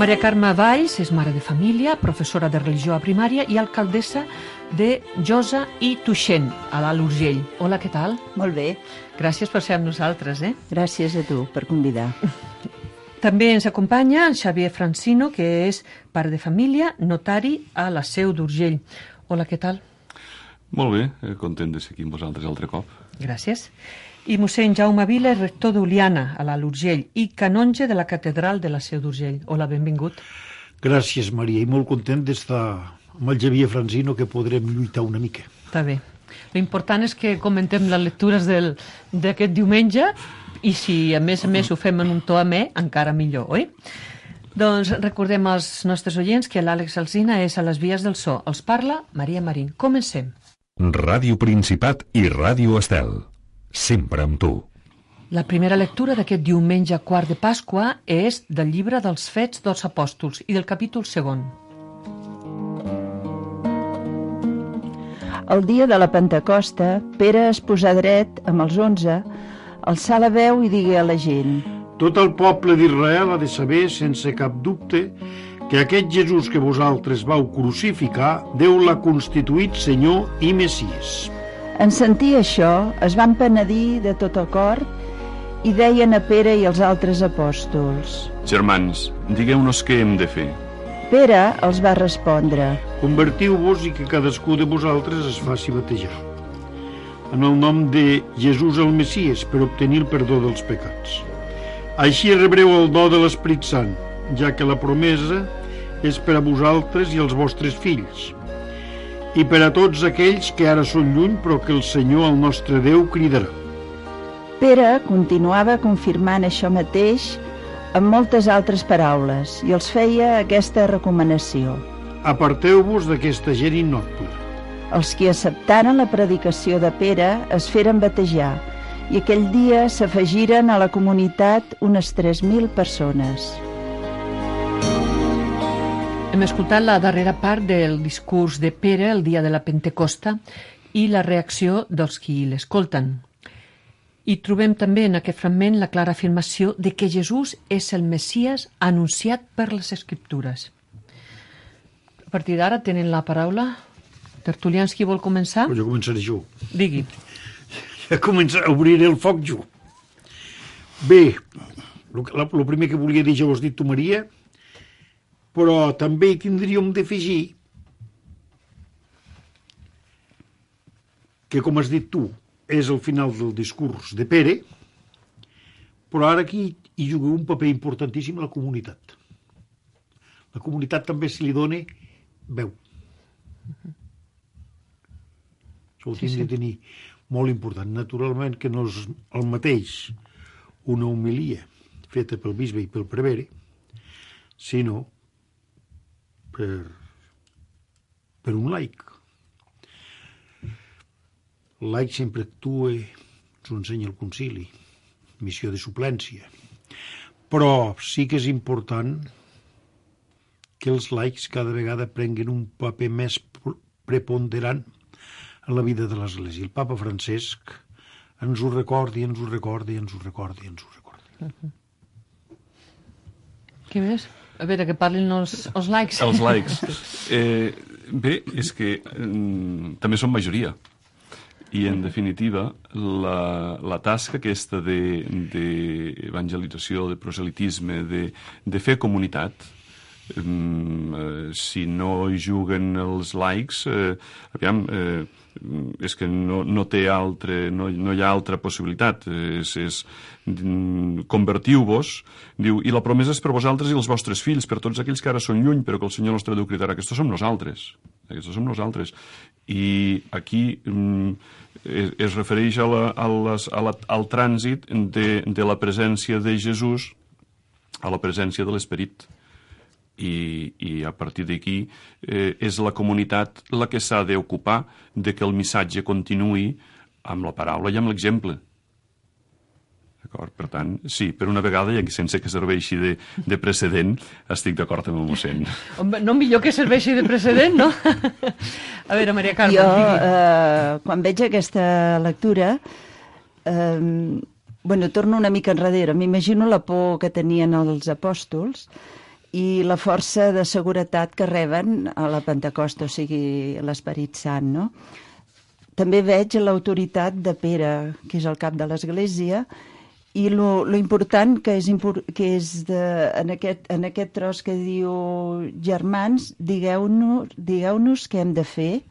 Maria Carme Valls és mare de família, professora de religió a primària i alcaldessa de Josa i Tuixén, a l'Alt Urgell. Hola, què tal? Molt bé. Gràcies per ser amb nosaltres, Gràcies a tu per convidar. També ens acompanya en Xavier Francino, que és pare de família, notari a la Seu d'Urgell. Hola, què tal? Molt bé, content de ser aquí amb vosaltres altre cop. Gràcies. I mossèn Jaume Vila, rector d'Oliana, a l'Alt Urgell, i canonge de la catedral de la Seu d'Urgell. Hola, benvingut. Gràcies, Maria, i molt content d'estar amb el Xavier Francino, que podrem lluitar una mica. Està bé. L'important és que comentem les lectures d'aquest diumenge i si a més ho fem en un to amè, encara millor, oi? Doncs recordem als nostres oients que l'Àlex Alsina és a les vies del so. Els parla Maria Marín. Comencem. Ràdio Principat i Ràdio Estel. Sempre amb tu. La primera lectura d'aquest diumenge quart de Pasqua és del llibre dels Fets dels Apòstols i del capítol 2. El dia de la Pentecosta, Pere es posà dret amb els 11, alçà la veu i digué a la gent: Tot el poble d'Israel ha de saber, sense cap dubte, que aquest Jesús que vosaltres vau crucificar, Déu l'ha constituït Senyor i Messies. En sentir això, es van penedir de tot el cor i deien a Pere i als altres apòstols: Germans, digueu-nos què hem de fer. Pere els va respondre: Convertiu-vos i que cadascú de vosaltres es faci batejar en el nom de Jesús el Messies per obtenir el perdó dels pecats. Així rebreu el do de l'Esperit Sant, ja que la promesa és per a vosaltres i els vostres fills, i per a tots aquells que ara són lluny, però que el Senyor, el nostre Déu, cridarà. Pere continuava confirmant això mateix amb moltes altres paraules i els feia aquesta recomanació: Aparteu-vos d'aquesta gent innoble. Els que acceptaren la predicació de Pere es feren batejar i aquell dia s'afegiren a la comunitat unes 3.000 persones. Hem escoltat la darrera part del discurs de Pere el dia de la Pentecosta i la reacció dels qui l'escolten. I trobem també en aquest fragment la clara afirmació de que Jesús és el Messies anunciat per les Escriptures. A partir d'ara tenen la paraula. Tertulians, qui vol començar? Jo començaré jo. Digui. Ja obriré el foc jo. Bé, el primer que volia dir ja ho has dit tu, Maria, però també hi tindríem d'afegir que, com has dit tu, és el final del discurs de Pere, però ara aquí hi juga un paper importantíssim la comunitat. La comunitat també se li dona veu. Això ho tinc de tenir molt important. Naturalment que no és el mateix una homilia feta pel bisbe i pel prevere, sinó per un laic. El laic sempre actua, ens ho ensenya el concili, missió de suplència. Però sí que és important que els laics cada vegada prenguen un paper més preponderant en la vida de l'Església. El papa Francesc ens ho recorda, ens ho recorda, ens ho recorda, ens ho recorda. Què més? A veure, que parlin els laics. Els laics. Bé, és que també són majoria. I, en definitiva, la tasca aquesta d'evangelització, de proselitisme, de fer comunitat, si no hi juguen els laics, és que no hi ha altra possibilitat. Convertiu-vos, diu, i la promesa és per vosaltres i els vostres fills, per tots aquells que ara són lluny, però que el Senyor nostre Déu cridarà. Aquests som nosaltres. I aquí es refereix al trànsit de la presència de Jesús a la presència de l'Esperit. I a partir d'aquí és la comunitat la que s'ha d'ocupar de que el missatge continuï amb la paraula i amb l'exemple. D'acord? Per tant, sí, per una vegada, i sense que serveixi de precedent, estic d'acord amb el mossèn. No millor que serveixi de precedent, no? A veure, Maria Carme, digui. Quan veig aquesta lectura, torno una mica enrere. M'imagino la por que tenien els apòstols i la força de seguretat que reben a la Pentecosta, o sigui, l'Esperit Sant, no? També veig l'autoritat de Pere, que és el cap de l'Església, i lo important que és en aquest tros que diu germans, digueu-nos què hem de fer,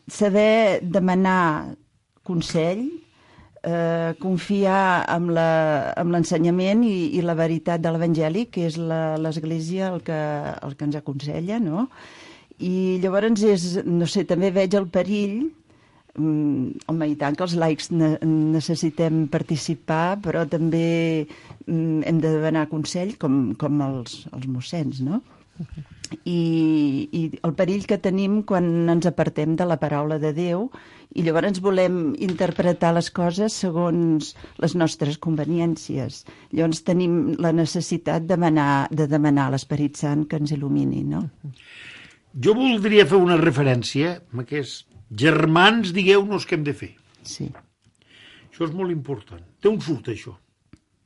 saber demanar consell, confiar en l'ensenyament i la veritat de l'Evangeli, que és l'Església el que ens aconsella, no? I llavors també veig el perill, home, i tant que els laics necessitem participar, però també hem de demanar consell com els mossens, no? I el perill que tenim quan ens apartem de la paraula de Déu i llavors volem interpretar les coses segons les nostres conveniències. Llavors tenim la necessitat de demanar a l'Esperit Sant que ens il·lumini, no? Jo voldria fer una referència a aquests germans, digueu-nos què hem de fer. Sí. Això és molt important. D'on surt això?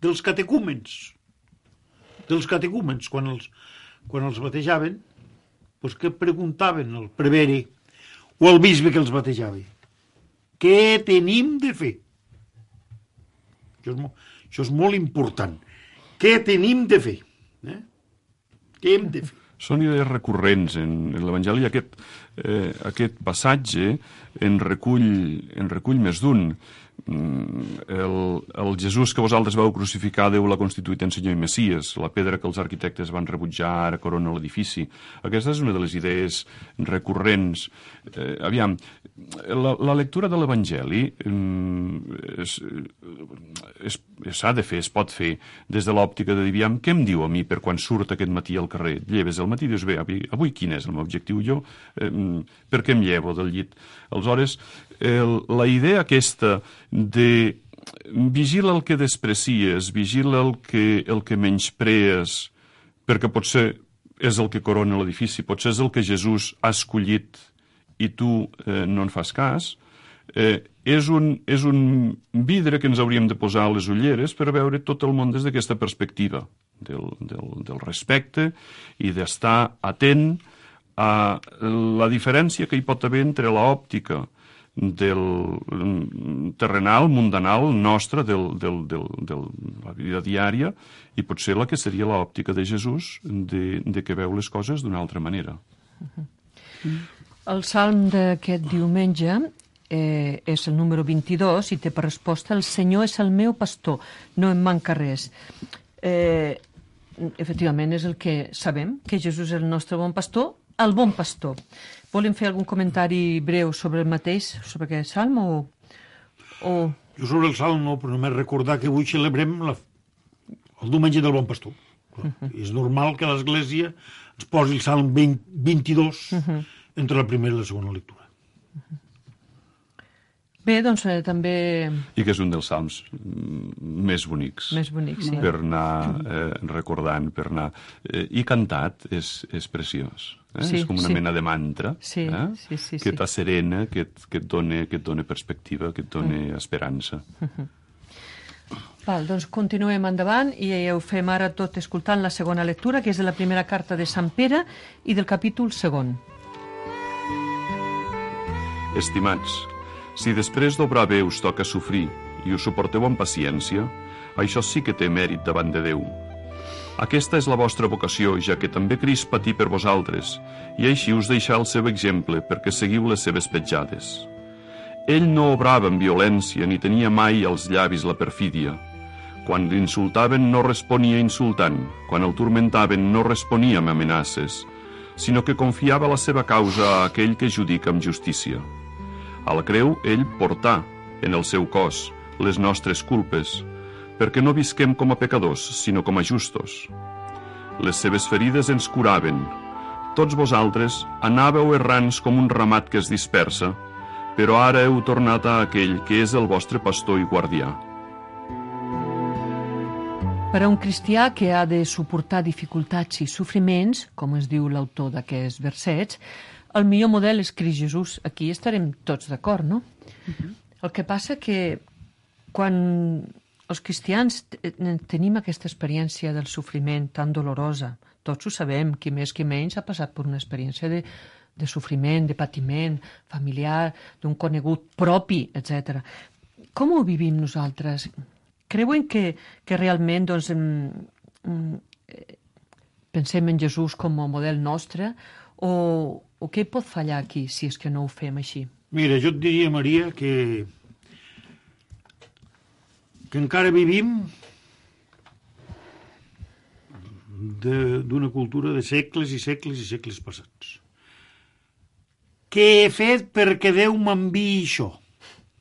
Dels catecúmens. Dels catecúmens, quan els batejaven, doncs què preguntaven al prevere o al bisbe que els batejava? Què tenim de fer? Això és molt important. Què tenim de fer? Què hem de fer? Són idees recurrents en l'Evangeli. Aquest passatge en recull més d'un. El Jesús que vosaltres vau crucificar, Déu l'ha constituït en Senyor i Messies, la pedra que els arquitectes van rebutjar ara corona l'edifici. Aquesta és una de les idees recurrents. Aviam, la lectura de l'Evangeli s'ha de fer, es pot fer des de l'òptica de dir, aviam, què em diu a mi per quan surt aquest matí al carrer? Lleves al matí i dius, bé, avui quin és el meu objectiu? Jo, per què em llevo del llit? Aleshores, la idea aquesta de vigila el que desprecies, vigila el que menysprees, perquè potser és el que corona l'edifici, potser és el que Jesús ha escollit i tu no en fas cas, és un vidre que ens hauríem de posar a les ulleres per veure tot el món des d'aquesta perspectiva del respecte i d'estar atent a la diferència que hi pot haver entre l'òptica del terrenal, mundanal, nostre, de la vida diària, i potser la que seria l'òptica de Jesús, de que veu les coses d'una altra manera. El salm d'aquest diumenge és el número 22 i té per resposta: el Senyor és el meu pastor, no em manca res. Efectivament, és el que sabem, que Jesús és el nostre bon pastor, el bon pastor. Volen fer algun comentari breu sobre el mateix, sobre aquest salm, o... Jo sobre el salm no, però només recordar que avui celebrem el diumenge del bon pastor. És normal que l'Església ens posi el salm 22 entre la primera i la segona lectura. Bé, doncs també... I que és un dels salms més bonics. Més bonics, sí. Per anar recordant, per anar... I cantat és preciós. Sí, és com una mena de mantra que t'asserena, que et dona perspectiva, que et dona esperança. Val, doncs continuem endavant i ho fem ara tot escoltant la segona lectura, que és de la primera carta de Sant Pere i del capítol 2. Estimats, si després d'obrar bé us toca sofrir i ho suporteu amb paciència, això sí que té mèrit davant de Déu. Aquesta és la vostra vocació, ja que també Crist patí per vosaltres, i així us deixà el seu exemple perquè seguiu les seves petjades. Ell no obrava amb violència ni tenia mai als llavis la perfídia. Quan l'insultaven no responia insultant, quan el turmentaven no responia amb amenaces, sinó que confiava la seva causa a aquell que judica amb justícia. A la creu, ell portà, en el seu cos, les nostres culpes, perquè no visquem com a pecadors, sinó com a justos. Les seves ferides ens curaven. Tots vosaltres anàveu errants com un ramat que es dispersa, però ara heu tornat a aquell que és el vostre pastor i guardià. Per a un cristià que ha de suportar dificultats i sofriments, com es diu l'autor d'aquests versets, el millor model és Crist Jesús. Aquí estarem tots d'acord, no? El que passa que quan els cristians tenim aquesta experiència del sofriment tan dolorosa, Tots ho sabem, qui més qui menys ha passat per una experiència de sofriment, de patiment familiar, d'un conegut propi, etc. Com ho vivim nosaltres? Creuen que realment doncs, pensem en Jesús com a model nostre o què pot fallar aquí si és que no ho fem així? Mira, jo et diria, Maria, que encara vivim d'una cultura de segles i segles i segles passats. Què he fet perquè Déu m'enviï això?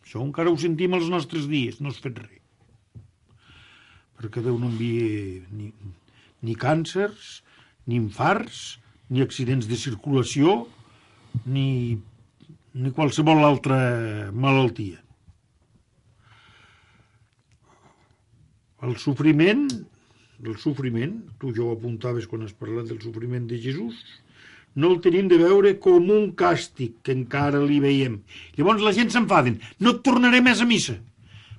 Això encara ho sentim als nostres dies, no has fet res. Perquè Déu no envia ni càncers, ni infarts, ni accidents de circulació, ni qualsevol altra malaltia. El sofriment, tu ja ho apuntaves quan has parlat del sofriment de Jesús, no el tenim de veure com un càstig que encara li veiem. Llavors la gent s'enfaden. No et tornaré més a missa,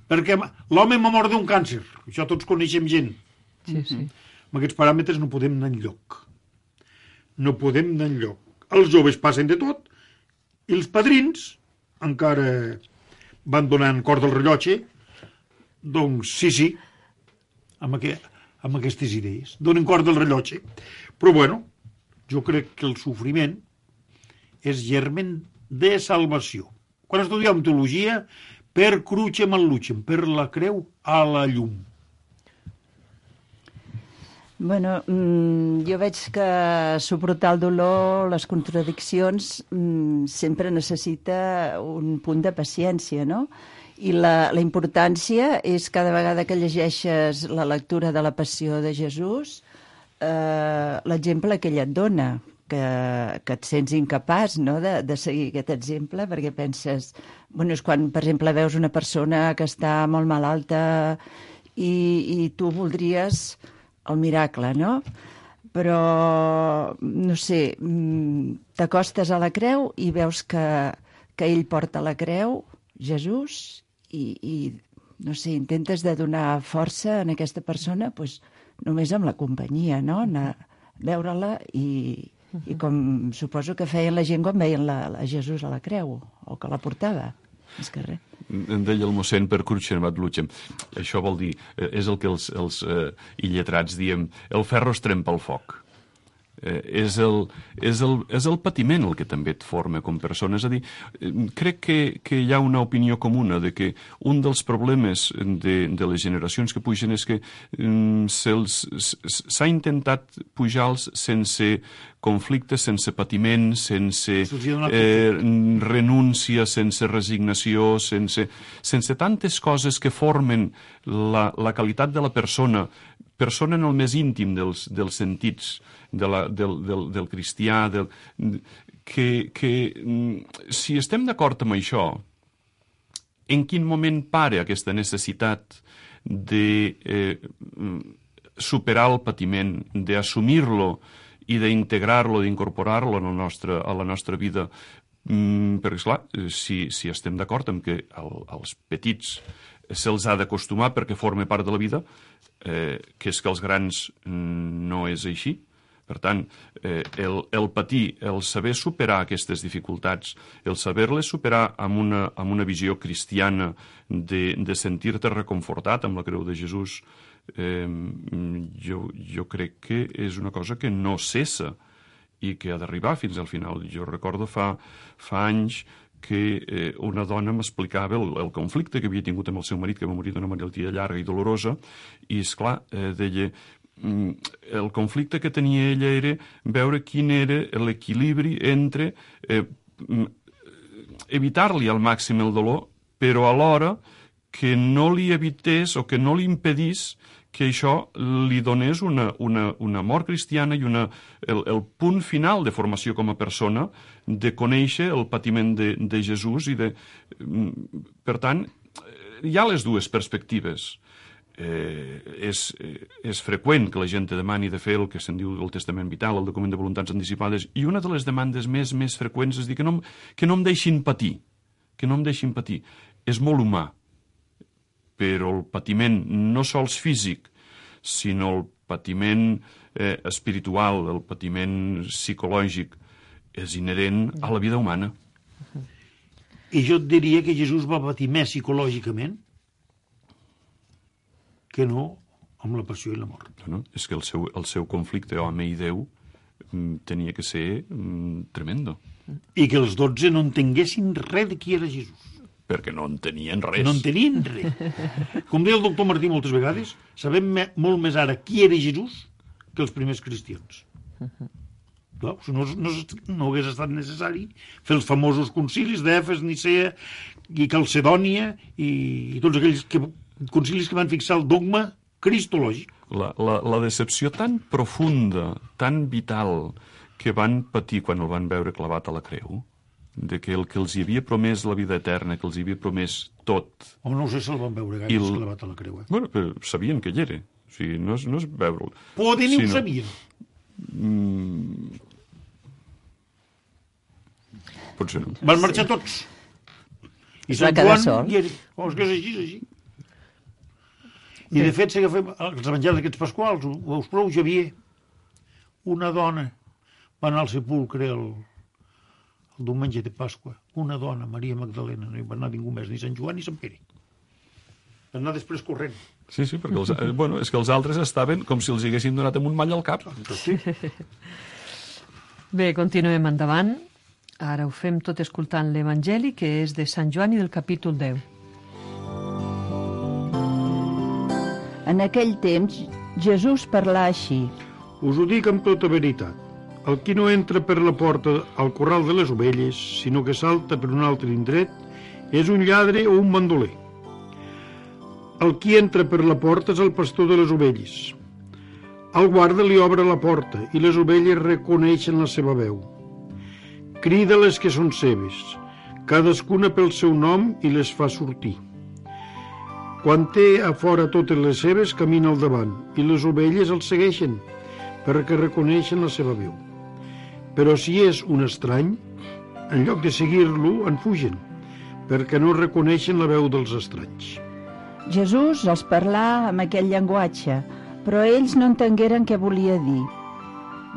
perquè l'home m'ha mort d'un càncer. Això tots coneixem gent. Sí, sí. Amb aquests paràmetres no podem anar enlloc. No podem anar enlloc. Els joves passen de tot i els padrins encara van donant cor del rellotge. Doncs sí, amb aquestes idees. Donen cor del rellotge. Però bueno, jo crec que el sofriment és germen de salvació. Quan estudiam teologia, per crucem al lucem, per la creu a la llum. Bueno, jo veig que suportar el dolor, les contradiccions, sempre necessita un punt de paciència, no? I la importància és cada vegada que llegeixes la lectura de la Passió de Jesús, l'exemple que ella et dona, que et sents incapaç, no?, de seguir aquest exemple, perquè penses... Bueno, és quan, per exemple, veus una persona que està molt malalta i tu voldries el miracle, no? Però, no sé, t'acostes a la creu i veus que ell porta la creu, Jesús, i no sé, intentes de donar força a aquesta persona, doncs, només amb la companyia, no? Anar a veure-la i com suposo que feien la gent quan veien a Jesús a la creu, o que la portava, més que res. En deia el mossèn per crucem ad lucem. Això vol dir, és el que els illetrats diem, el ferro es trempa al foc. És el patiment el que també et forma com persona. És a dir, crec que hi ha una opinió comuna de que un dels problemes de les generacions que pugen és que s'ha intentat pujar-los sense conflictes, sense patiment, sense renúncia, sense resignació, sense tantes coses que formen la qualitat de la persona en el més íntim dels sentits del cristià, que si estem d'acord amb això, en quin moment para aquesta necessitat de superar el patiment, d'assumir-lo i d'integrar-lo, d'incorporar-lo a la nostra vida? Perquè, esclar, si estem d'acord amb que als petits se'ls ha d'acostumar perquè forma part de la vida, que és que els grans no és així. Per tant, el patir, el saber superar aquestes dificultats, el saber-les superar amb una visió cristiana de sentir-te reconfortat amb la creu de Jesús, jo crec que és una cosa que no cessa i que ha d'arribar fins al final. Jo recordo fa anys que una dona m'explicava el conflicte que havia tingut amb el seu marit, que va morir d'una malaltia llarga i dolorosa, i, esclar, deia, el conflicte que tenia ella era veure quin era l'equilibri entre evitar-li al màxim el dolor, però alhora que no li evités o que no li impedís que això li donés una mort cristiana i el punt final de formació com a persona, de conèixer el patiment de Jesús. Per tant, hi ha les dues perspectives. És freqüent que la gent te demani de fer el que se'n diu el testament vital, el document de voluntats anticipades, i una de les demandes més freqüents és dir que no em deixin patir, que no em deixin patir. És molt humà, però el patiment no sols físic, sinó el patiment espiritual, el patiment psicològic, és inherent a la vida humana. I jo et diria que Jesús va patir més psicològicament que no amb la passió i la mort. No? És que el seu conflicte home i Déu tenia que ser tremendo. I que els 12 no entenguessin res de qui era Jesús. Perquè no entenien res. No entenien res. Com deia el doctor Martí moltes vegades, sabem molt més ara qui era Jesús que els primers cristians. Clar, no hagués estat necessari fer els famosos concilis d'Efes, Nicea i Calcedònia i tots aquells concilis que van fixar el dogma cristològic. La decepció tan profunda, tan vital, que van patir quan el van veure clavat a la creu, de que el que els hi havia promès la vida eterna, que els hi havia promès tot... Home, no sé si el van veure gaire clavat a la creu. Bueno, però sabien que hi era. O sigui, no és veure'l. Poder ni ho sabien. Potser no. Van marxar tots. I va quedar sol. És que és així. I de fet, si agafem els evangelis aquests pasquals, ho veus prou, Javier, una dona va anar al sepulcre el diumenge de Pasqua, una dona, Maria Magdalena, no hi va anar ningú més, ni Sant Joan ni Sant Pere. Va anar després corrent. Sí, perquè és que els altres estaven com si els haguessin donat amb un mall al cap. Sí. Bé, continuem endavant. Ara ho fem tot escoltant l'Evangeli, que és de Sant Joan i del capítol 10. En aquell temps, Jesús parlà així. Us ho dic amb tota veritat. El qui no entra per la porta al corral de les ovelles, sinó que salta per un altre indret, és un lladre o un bandoler. El qui entra per la porta és el pastor de les ovelles. El guarda li obre la porta i les ovelles reconeixen la seva veu. Crida les que són seves, cadascuna pel seu nom i les fa sortir. Quan té a fora totes les seves, camina al davant i les ovelles el segueixen perquè reconeixen la seva veu. Però si és un estrany, en lloc de seguir-lo, en fugen, perquè no reconeixen la veu dels estranys. Jesús els parlà amb aquell llenguatge, però ells no entengueren què volia dir.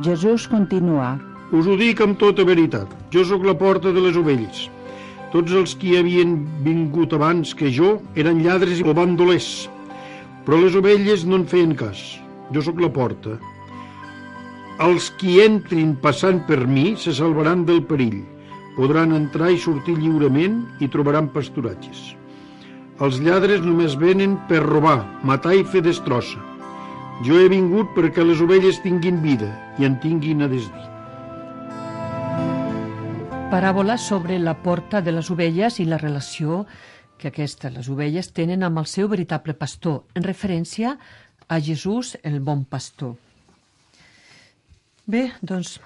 Jesús continuà. Us ho dic amb tota veritat. Jo sóc la porta de les ovelles. Tots els qui havien vingut abans que jo eren lladres o bandolers, però les ovelles no en feien cas. Jo sóc la porta. Els qui entrin passant per mi se salvaran del perill. Podran entrar i sortir lliurement i trobaran pasturatges. Els lladres només venen per robar, matar i fer destrossa. Jo he vingut perquè les ovelles tinguin vida i en tinguin a desdir. Paràbola sobre la porta de les ovelles i la relació que les ovelles, tenen amb el seu veritable pastor, en referència a Jesús, el bon pastor. Bé, doncs,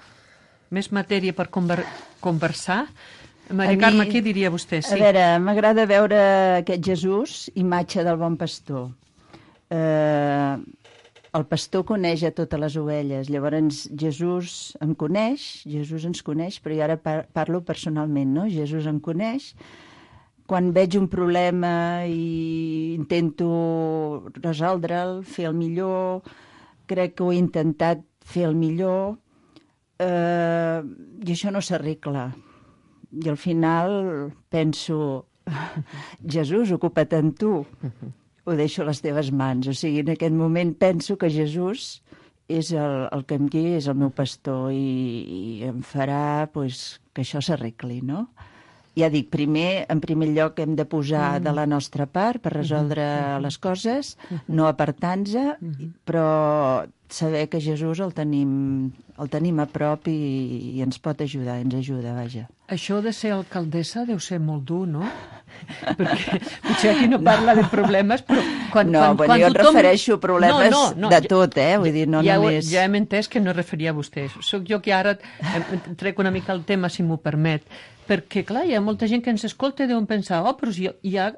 més matèria per conversar. Maria Carme, què diria vostè? Sí. A veure, m'agrada veure aquest Jesús, imatge del bon pastor. El pastor coneix a totes les ovelles, llavors Jesús em coneix, Jesús ens coneix, però jo ara parlo personalment, no? Jesús em coneix. Quan veig un problema i intento resoldre'l, fer el millor, crec que ho he intentat fer el millor, i això no s'arregla. I al final penso, Jesús, ocupa't en tu. Ho deixo a les teves mans. O sigui, en aquest moment penso que Jesús és el que em guia, és el meu pastor i em farà que això s'arregli, no? Ja dic, en primer lloc hem de posar de la nostra part per resoldre les coses, no apartar-nos, però saber que Jesús el tenim a prop i ens pot ajudar, ens ajuda, vaja. Això de ser alcaldessa deu ser molt dur, no? Perquè potser aquí no parla de problemes, però quan jo em refereixo a problemes de tot, vull dir, no només... Ja hem entès que no es referia a vostè. Soc jo que ara trec una mica el tema, si m'ho permet, perquè, clar, hi ha molta gent que ens escolta i deuen pensar, però si hi ha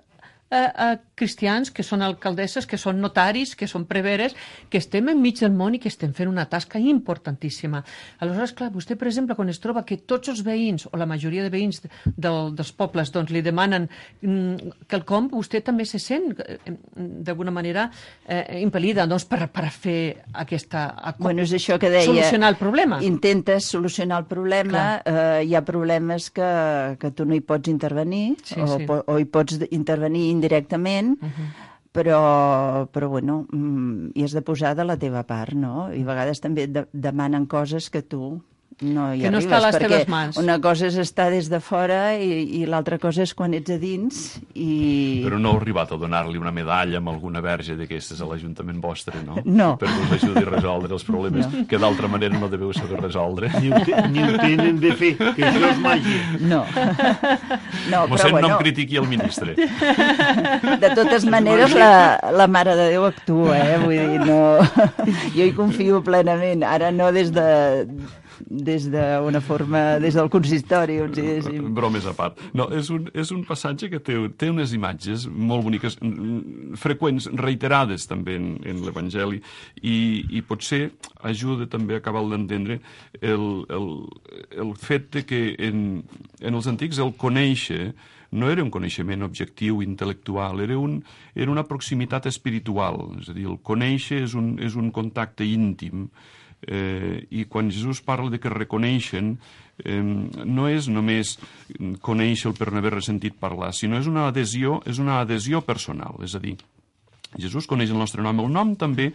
cristians, que són alcaldesses, que són notaris, que són preveres, que estem enmig del món i que estem fent una tasca importantíssima. Aleshores, clar, vostè, per exemple, quan es troba que tots els veïns, o la majoria de veïns dels pobles, doncs li demanen quelcom, vostè també se sent, d'alguna manera, impel·lida doncs, per fer aquesta... Bueno, és això que deia. Solucionar el problema. Intentes solucionar el problema, hi ha problemes que tu no hi pots intervenir, o hi pots intervenir indirectament, però bueno, hi has de posar de la teva part, no? I a vegades també demanen coses que tu no hi que arribes, no està a les teves mans. Una cosa és estar des de fora i l'altra cosa és quan ets a dins i... Però no heu arribat a donar-li una medalla amb alguna verge d'aquestes a l'Ajuntament vostre, no? No. Per que us ajudi a resoldre els problemes que d'altra manera no deveu saber resoldre. Ni ho tenen de fer, que això és màgia. No. Mossèn, no em critiqui el ministre. De totes maneres, la Mare de Déu actua, Vull dir, no... Jo hi confio plenament. Ara no des d'una forma, des del consistori, on si diguéssim. Bromes a part. No, és un passatge que té unes imatges molt boniques, freqüents, reiterades també en l'Evangeli, i potser ajuda també a acabar d'entendre el fet de que en els antics el conèixer no era un coneixement objectiu, intel·lectual, era una proximitat espiritual. És a dir, el conèixer és un contacte íntim, i quan Jesús parla de que reconeixen, no és només conèixer-lo per no haver ressentit parlar, sinó és una adhesió personal, és a dir, Jesús coneix el nostre nom. El nom també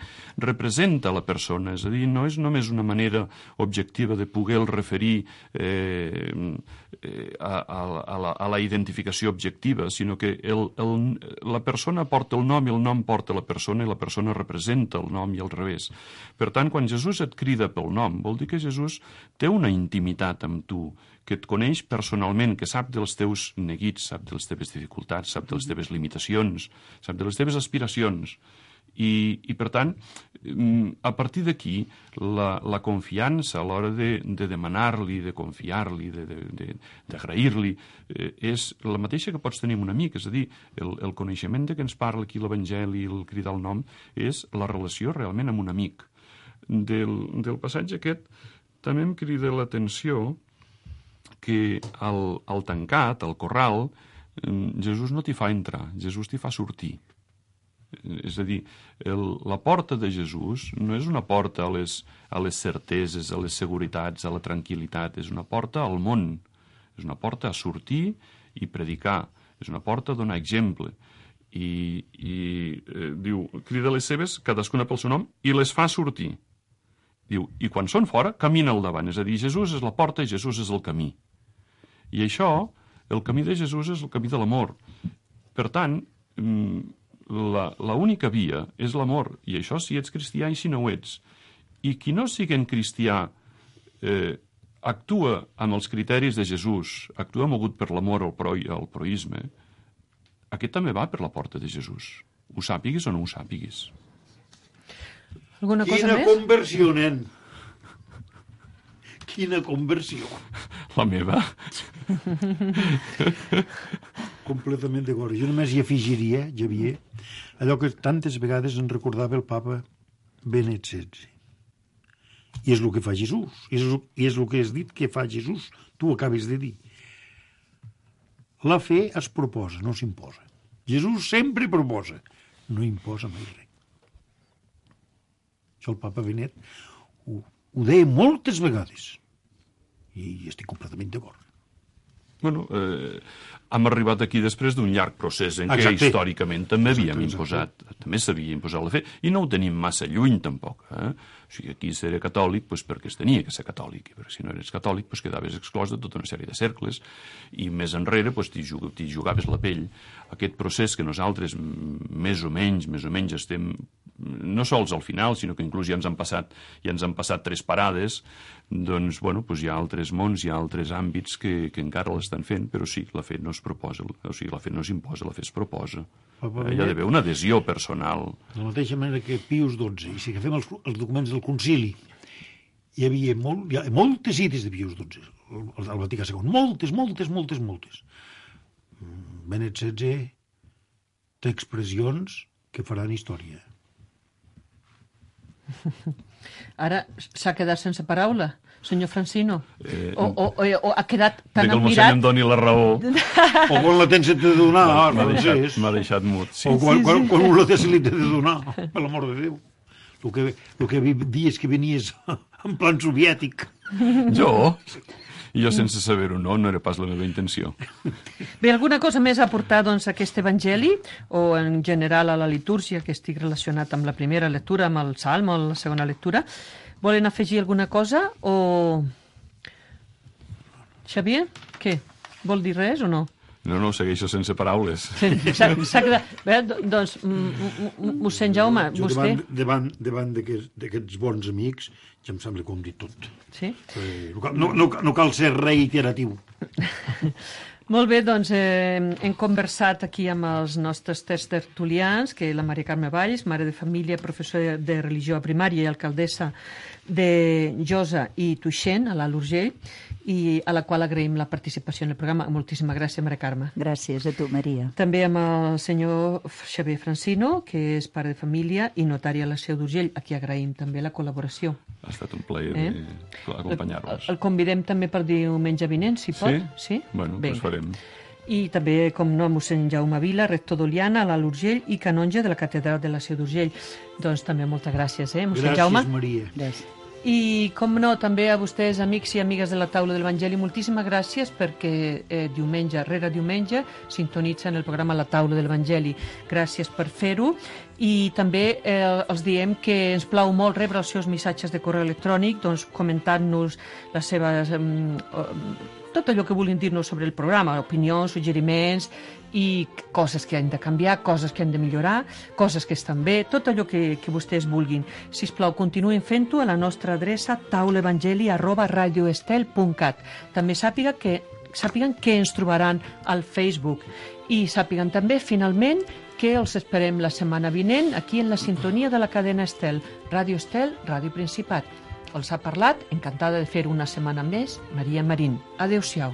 representa la persona, és a dir, no és només una manera objectiva de poder-el referir a la identificació objectiva, sinó que la persona porta el nom i el nom porta la persona i la persona representa el nom i al revés. Per tant, quan Jesús et crida pel nom, vol dir que Jesús té una intimitat amb tu, que et coneix personalment, que sap dels teus neguits, sap de les teves dificultats, sap de les teves limitacions, sap de les teves aspiracions. I per tant, a partir d'aquí, la confiança a l'hora de demanar-li, de confiar-li, d'agrair-li, és la mateixa que pots tenir amb un amic. És a dir, el coneixement de què ens parla aquí l'Evangeli, el cridar el nom, és la relació realment amb un amic. Del passatge aquest també em crida l'atenció que al tancat, al corral, Jesús no t'hi fa entrar, Jesús t'hi fa sortir. És a dir, la porta de Jesús no és una porta a les certeses, a les seguretats, a la tranquil·litat, és una porta al món, és una porta a sortir i predicar, és una porta a donar exemple. I diu, crida les seves, cadascuna pel seu nom, i les fa sortir. Diu, i quan són fora, camina al davant. És a dir, Jesús és la porta i Jesús és el camí. I això, el camí de Jesús és el camí de l'amor. Per tant, l'única via és l'amor. I això si ets cristià i si no ho ets. I qui no sigui cristià actua amb els criteris de Jesús, actua mogut per l'amor o el proisme, aquest també va per la porta de Jesús. Ho sàpigues o no ho sàpigues. Alguna cosa Quina més? Conversió, nen! Quina conversió! La meva. Completament d'acord. Jo només hi afegiria, Xavier, allò que tantes vegades ens recordava el papa Benet XVI. I és el que fa Jesús. I és el que has dit que fa Jesús. Tu acabes de dir. La fe es proposa, no s'imposa. Jesús sempre proposa, no imposa mai res. Això el papa Benet ho deia moltes vegades. I estic completament d'acord. Bueno, hem arribat aquí després d'un llarg procés en què històricament també havíem imposat, també s'havia imposat la fe, i no ho tenim massa lluny tampoc. O sigui, aquí ser catòlic perquè es tenia que ser catòlic, perquè si no eres catòlic quedaves exclòs de tota una sèrie de cercles, i més enrere t'hi jugaves la pell. Aquest procés que nosaltres més o menys estem no sols al final, sinó que inclús ja ens han passat 3 parades, doncs, bueno, hi ha altres mons, hi ha altres àmbits que encara l'estan fent, però sí, la fe no es proposa, o sigui, la fe no s'imposa, la fe es proposa. Hi ha d'haver una adhesió personal. De la mateixa manera que Pius XII, i si agafem els documents del concili, hi havia moltes cites de Pius XII, al Vaticà II, moltes. Benet XVI d'expressions que faran història. Ara s'ha quedat sense paraula, senyor Francino. O ha quedat tan que el admirat... mossèn em doni la raó. O quan la tens de donar, M'ha deixat mut, sí. O quan un la té se li té de donar, per l'amor de Déu. El que dies que venies en plan soviètic. Jo? Jo sense saber-ho, no era pas la meva intenció. Bé, alguna cosa més a aportar, doncs, a aquest evangeli, o en general a la litúrgia, que estic relacionat amb la primera lectura, amb el salm o la segona lectura? Volen afegir alguna cosa o... Xavier, què? Vol dir res o no? No, segueixo sense paraules. S'ha quedat... Bé, doncs, mossèn Jaume, vostè... Davant d'aquests bons amics, ja em sembla que ho hem dit tot. Sí? No cal ser reiteratiu. Molt bé, doncs hem conversat aquí amb els nostres tres tertulians, que la Maria Carme Valls, mare de família, professora de religió a primària i alcaldessa de Josa i Tuixén, a l'Alt Urgell, i a la qual agraïm la participació en el programa. Moltíssimes gràcies, Maria Carme. Gràcies a tu, Maria. També amb el senyor Xavier Francino, que és pare de família i notari a la Seu d'Urgell, a qui agraïm també la col·laboració. Ha estat un plaer d'acompanyar-vos. El convidem també per diumenge vinent, si pot. Sí? Bueno, doncs farem. I també, com no, mossèn Jaume Vila, rector d'Oliana, a l'Alt Urgell i canonge de la catedral de la Seu d'Urgell. Doncs també moltes gràcies, mossèn Jaume. Gràcies, Maria. Gràcies. I, com no, també a vostès, amics i amigues de la taula de l'Evangeli, moltíssimes gràcies perquè diumenge rere diumenge sintonitzen el programa La taula de l'Evangeli. Gràcies per fer-ho. I també els diem que ens plau molt rebre els seus missatges de correu electrònic, doncs comentant-nos les seves... tot allò que vulguin dir-nos sobre el programa, opinions, suggeriments i coses que han de canviar, coses que han de millorar, coses que estan bé, tot allò que vostès vulguin. Sisplau, continuïn fent-ho a la nostra adreça taulaevangeli@radioestel.cat. També sàpiguen que ens trobaran al Facebook i sàpiguen també, finalment, que els esperem la setmana vinent aquí en la sintonia de la cadena Estel, Ràdio Estel, Ràdio Principat. Els ha parlat, encantada de fer una setmana més, Maria Marín. Adéu-siau.